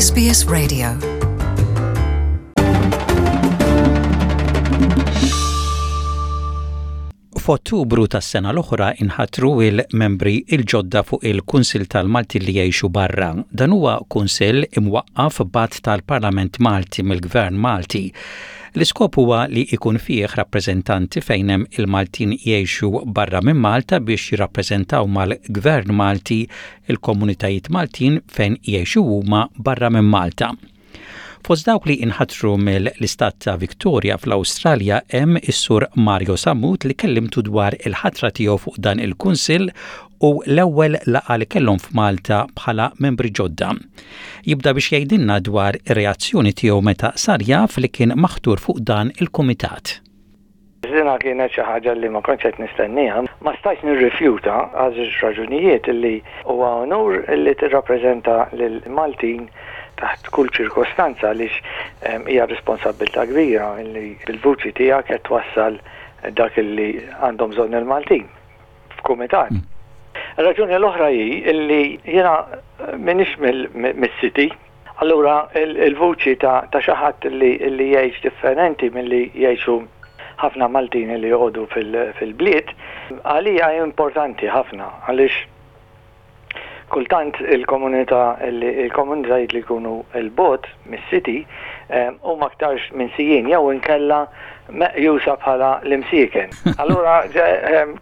SBS Radio. F'Ottubru tas-sena l-oħra inħatru il-membri il-ġodda fuq il-Kunsill tal-Malti li jgħixu barra. Dan huwa kunsill imwaqqaf b'att tal-Parlament Malti mill-Gvern Malti. L-iskop huwa li jkun fih rappreżentanti fejn hemm il-Maltin jgħixu barra minn Malta biex jirrappreżentaw mal-Gvern Malti l-komunitajiet Maltin fejn jgħixu huma barra minn Malta. Fost dawk li inħatru mill-istat ta' Victoria fl-Awstralja hemm is-Sur Mario Sammut li kellimtu dwar il-ħatra tiegħu fuq dan il-Kunsill u l-ewwel laqgħa li kellhom f'Malta bħala membri ġodda. Jibda biex jgħidilna dwar ir-reazzjoni tiegħu meta sar jaf li kien maħtur fuq dan il-kumitat. Dina kienet xi ħaġa li ma kontx qed nistennieha. Ma stajtx nirrifjuta għal żewġ raġunijiet, li huwa unur li tirrappreżenta lill-Maltin taħt kull ċirkostanza għaliex hija responsabbiltà kbira li bil-vuċi tiegħek qed twassal dak li għandhom bżonn il-Maltin. f'kumitat. Ir-raġuni l-oħra hi li jiena m'iniex mis-city, allura il-vuċi ta' xi ħadd li jgħix differenti milli jgħixu ħafna Maltin li joqogħdu fil-bliet, għalija hi importanti ħafna għaliex Kultant il-komunità il-komunitajiet li jkunu 'l bogħod mis-city huma aktarx minsijin jew inkella meqjusa bħala l-imsieken. Allura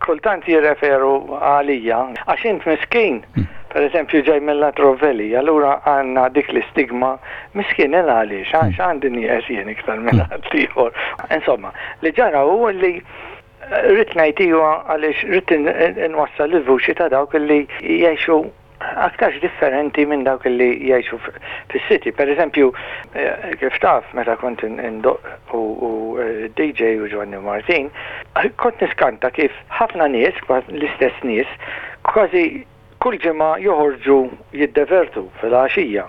kultant jirreferu għalija għax int miskin, per eżempju ġej mill-Latrobe Valley, allura għandna dik l-istigma miskin il għaliex, x'għandi nieqes jien iktar minn ħaddieħor. Insomma, li ġara hu li Ridt ngħid iva għaliex ridt inwassal il-vuċi ta' dawk li jgħixu aktarx differenti minn dawk li jgħixu fis-city. Per eżempju, kif taf, meta kont indoqq u DJ u Ġwanni Martin, kont niskanta kif ħafna nies, l-istess nies, kważi kull ġimgħa joħorġu jiddevertu filgħaxija.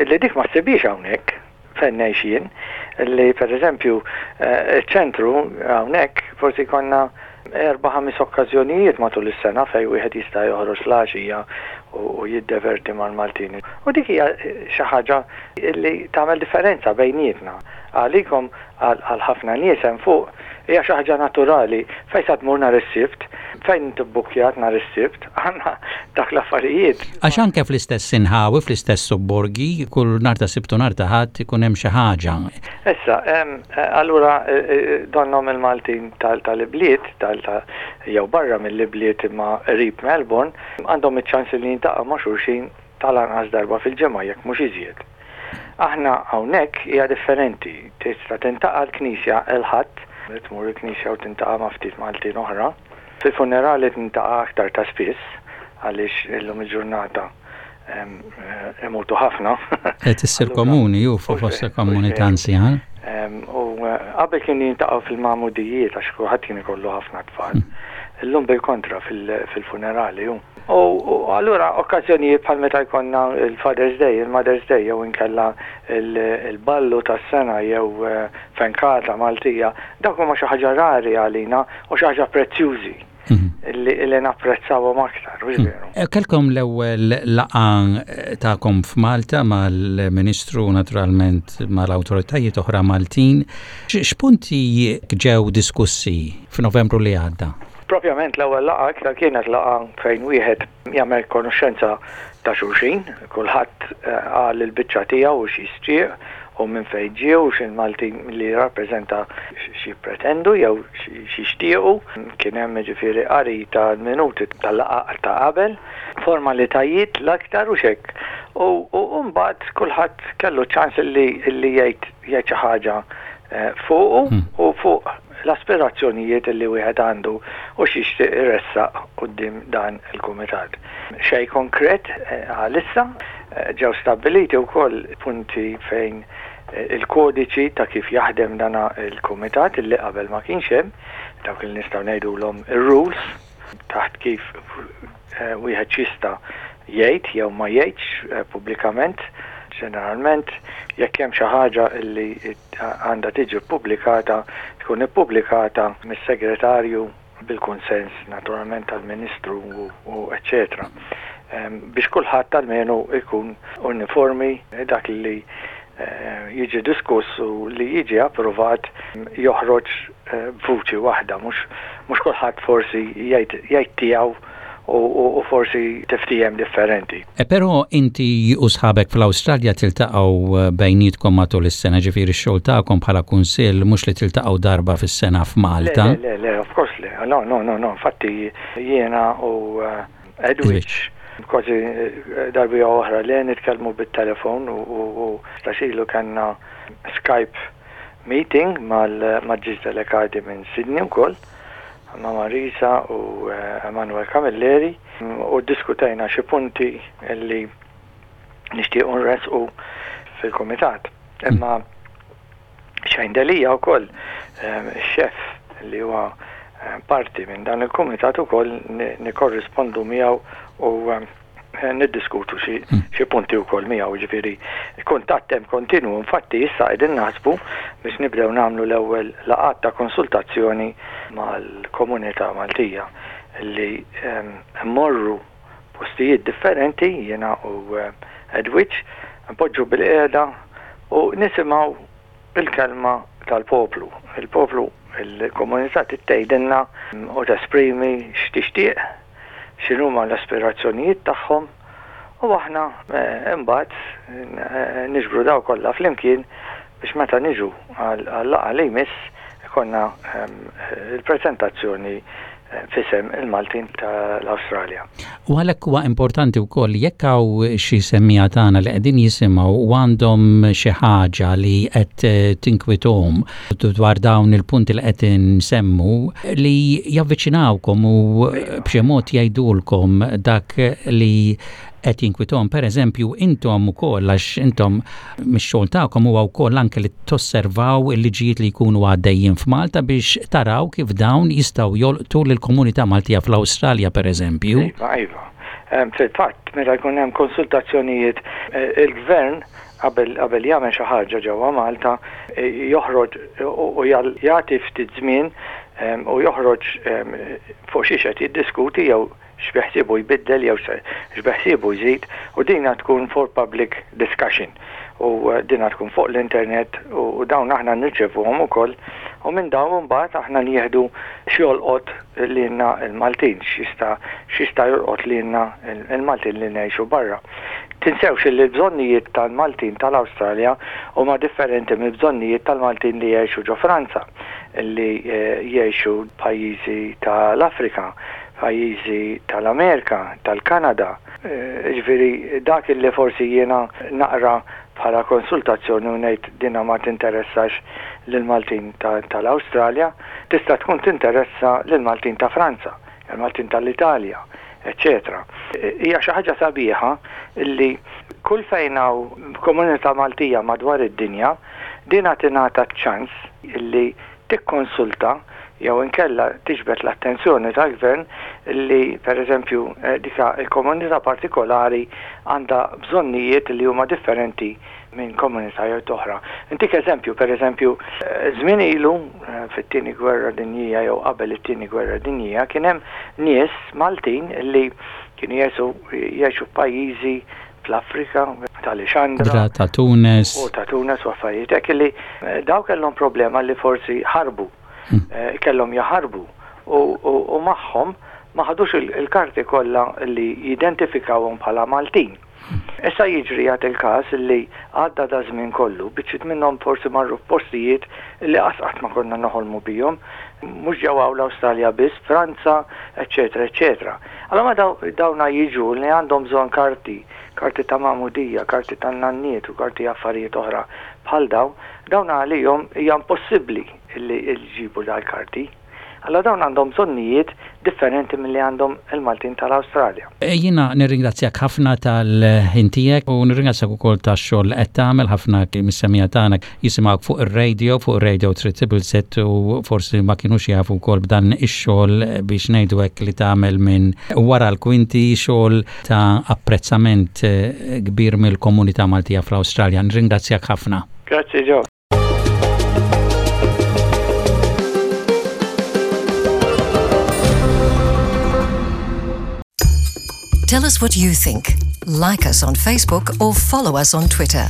Li dik ma ssibhiex hawnhekk. fejn ngħix jien, li pereżempju ċ-ċentru hawnhekk forsi jkollna erba' ħames okkażjonijiet matul is-sena fejn wieħed jista' joħroġ l-għaxija u jiddeverti mal-Maltin. U dik hija xi ħaġa li tagħmel differenza bejnietna. Għalikom, għal ħafna nies hemm fuq, hija xi ħaġa naturali fejn sa tmur nhar is-Sibt, fejn int ibbukkjat nhar is-Sibt, għandna dak l-affarijiet. Għax anke fl-istess inħawi, fl-istess sobborgi, kull nhar ta' Sibt u nhar ta' Ħadd ikun hemm xi ħaġa. Issa, allura donnhom il-Maltin tal-ibliet, jew barra mill-ibliet imma qrib Melbourne, għandhom iċ-ċans li jiltaqgħu ma' xulxin tal-anqas darba fil-ġimgħa jekk mhux iżjed. Aħna hawnhekk hija differenti, tista' tintaqa' l-knisja l-Ħadd, tmur il-knisja u tintaqa' ma' ftit Maltin oħra. Fil-funerali tintaqa' aktar ta' spiss għaliex illum il-ġurnata imutu ħafna. Qed issir komuni hu fost il-komunità anzjan. U qabel kienu jintaqgħu fil-magħmudijiet għax kulħadd kien ikollu ħafna tfal. Illum bil-kontra fil-funerali hu. U allura okkażjonijiet bħal meta jkollna l-Father's Day, il-Mother's Day jew inkella l-ballu tas-sena jew fenkata Maltija, dawk huma xi ħaġa rari għalina u xi ħaġa prezzjużi li napprezzawhom aktar, hux veru? Kellkom l-ewwel laqgħa tagħkom f'Malta mal-Ministru u naturalment mal-awtoritajiet oħra Maltin. X'punti ġew diskussi f'Novembru li għadda? Propjament l-ewwel laqgħa iktar kienet laqgħa fejn wieħed jagħmel konoxxenza ta' xulxin, kulħadd qal il-biċċa tiegħu u x'jixtieq u minn fejn ġie u x'il-Maltin li jirrappreżenta x'jippretendu jew x'jixtiequ. Kien hemm jiġifieri qari tal-minuti tal-laqgħa ta' qabel, formalitajiet l-aktar u x'hekk. U mbagħad kulħadd kellu ċ-ċans li jgħid jgħid xi ħaġa fuqu u fuq l-aspirazzjonijiet li wieħed għandu u x'jixtieq iressaq quddiem dan il-kumitat. Xejn konkret għalissa. Ġew stabbiliti wkoll punti fejn il-kodiċi ta' kif jaħdem dan il-kumitat li qabel ma kienx hemm, dawk li nistgħu ngħidulhom ir-rules taħt kif wieħed x'jista' jgħid jew ma jgħidx pubblikament. Ġeneralment jekk hemm xi ħaġa li għandha tiġi ppubblikata, tkun ippubblikata mis-segretarju bil-kunsens naturalment tal-Ministru u eċċetera. biex kulħadd almenu jkun uniformi dak li jiġi diskuss u li jiġi approvat joħroġ b'vuċi waħda, mhux kulħadd forsi jgħid tiegħu u forsi tiftiehem differenti. Però inti u sħabek fl-Awstralja tiltaqgħu bejnietkom matul is-sena, ġifieri x-xogħol tagħkom bħala kunsill mhux li tiltaqgħu darba fis-sena f'Malta. Le, le, le, of course le. No, no, no, no, infatti jiena u Edwidge kważi darba jew oħra le nitkellmu bit-telefon u ftax ilu kellna Skype meeting mal-ġiex delegati minn Sydney wkoll, ma' Marisa u Emanuel Camilleri u ddiskutejna xi punti li nixtiequ nressqu fil-kumitat. Imma Shane Delia wkoll ix-xef li huwa parti minn dan il-kumitat ukoll nikorrispondu miegħu u niddiskutu xi punti wkoll miegħu, jiġifieri kuntatt hemm kontinwu. Infatti issa qegħdin naħsbu biex nibdew nagħmlu l-ewwel laqgħat ta' konsultazzjoni mal-komunità Maltija li mmorru postijiet differenti jiena u Edwidge, npoġġu bilqiegħda u nisimgħu l-kelma tal-poplu. Il-poplu, il-komunità trid tgħidilna u tesprimi x'tixtieq, x'inhuma l-aspirazzjonijiet tagħhom u aħna imbagħad niġbru dawn kollha flimkien biex meta niġu għal-laqgħa li jmiss ikollna l-preżentazzjoni f'isem il-Maltin tal-Awstralja. U għalhekk huwa importanti wkoll jekk hawn xi semmiegħa tagħna li qegħdin jisimgħu u għandhom xi ħaġa li qed tinkwithom dwar dawn il-punti li qed insemmu li javviċinawkom u b'xi mod jgħidulkom dak li qed jinkwitahom. Per eżempju, intom ukoll għax intom mix-xogħol tagħkom huwa wkoll anke li tosservaw il-liġijiet li jkunu għaddejjin f'Malta biex taraw kif dawn jistgħu jolqtu lill-komunità Maltija fl-Awstralja per eżempju. Iva, iva. Fil-fatt, meta jkun hemm konsultazzjonijiet, il-Gvern qabel qabel jagħmel xi ħaġa ġewwa Malta joħroġ u jagħti ftit żmien u joħroġ fuq xiex qed jiddiskuti jew x'beħsiebu jbiddel jew x'beħsiebu jżid u dina tkun for public discussion u dina tkun fuq l-internet u dawn aħna nirċevuhom ukoll u minn dawn imbagħad aħna nieħdu x'jolqot lilna l-Maltin, x'jista' x'jista' jolqot lilna l-Maltin li ngħixu barra. Tinsewx li l-bżonnijiet tal-Maltin tal-Awstralja huma differenti mill-bżonnijiet tal-Maltin li jgħixu ġo Franza, li jgħixu pajjiżi tal-Afrika, pajjiżi tal-Amerika, tal-Kanada. Jiġifieri dak li forsi jiena naqra bħala konsultazzjoni u ngħid dinha ma tinteressax lill-Maltin tal-Awstralja, tista' tkun tinteressa lill-Maltin ta' Franza, il-Maltin tal-Italja, eċċetera. Hija xi ħaġa sabiħa li kull fejn hawn komunità Maltija madwar id-dinja, dinha tingħata ċ-ċans li tikkonsulta jew inkella tiġbed l-attenzjoni tal-Gvern li, per eżempju, dika l-komunità partikolari għandha bżonnijiet li huma differenti minn komunitajiet oħra. Intik eżempju, per eżempju, żmien ilu, fit-Tieni Gwerra Dinjija jew qabel it-Tieni Gwerra Dinjija, kien hemm nies Maltin li kienu jgħixu f'pajjiżi fl-Afrika, ta' Lixandra. Ta' Tunes. U ta' Tunes u affarijiet hekk li daw kellhom problema li forsi ħarbu. Kellhom jaħarbu u magħhom ma ħadux il-karti kollha li jidentifikawhom bħala Maltin. Issa jiġri jagħti l-każ li għadda da żmien kollu, biċċiet minnhom forsi marru f'postijiet li qatt qatt ma konna noħolmu bihom, mhux ġew hawn l-Awstralja biss, Franza, eċċetera, eċċetera. Allura meta dawna jiġu li għandhom bżonn karti, karti ta' magħmudija, karti tan-nanniet u karti affarijiet oħra bħal dawn, dawn għalihom hija impossibbli li jġibu dal-karti. Allura dawn għandhom bżonnijiet differenti milli għandhom il-Maltin tal-Awstralja. Jiena nirringrazzjak ħafna tal-ħin tiegħek u nirringrazzjak ukoll tax-xogħol li qed tagħmel. Ħafna mis-semmiegħa tagħna jisimgħuk fuq ir-radio, fuq Radio Triple Z u forsi ma kinux jafu wkoll b'dan ix-xogħol biex ngħidu hekk li tagħmel minn wara l-kwinti, xogħol ta' apprezzament kbir mill-komunità Maltija fl-Awstralja. Nirringrazzjak ħafna. Grazzi Joe. Tell us what you think. Like us on Facebook or follow us on Twitter.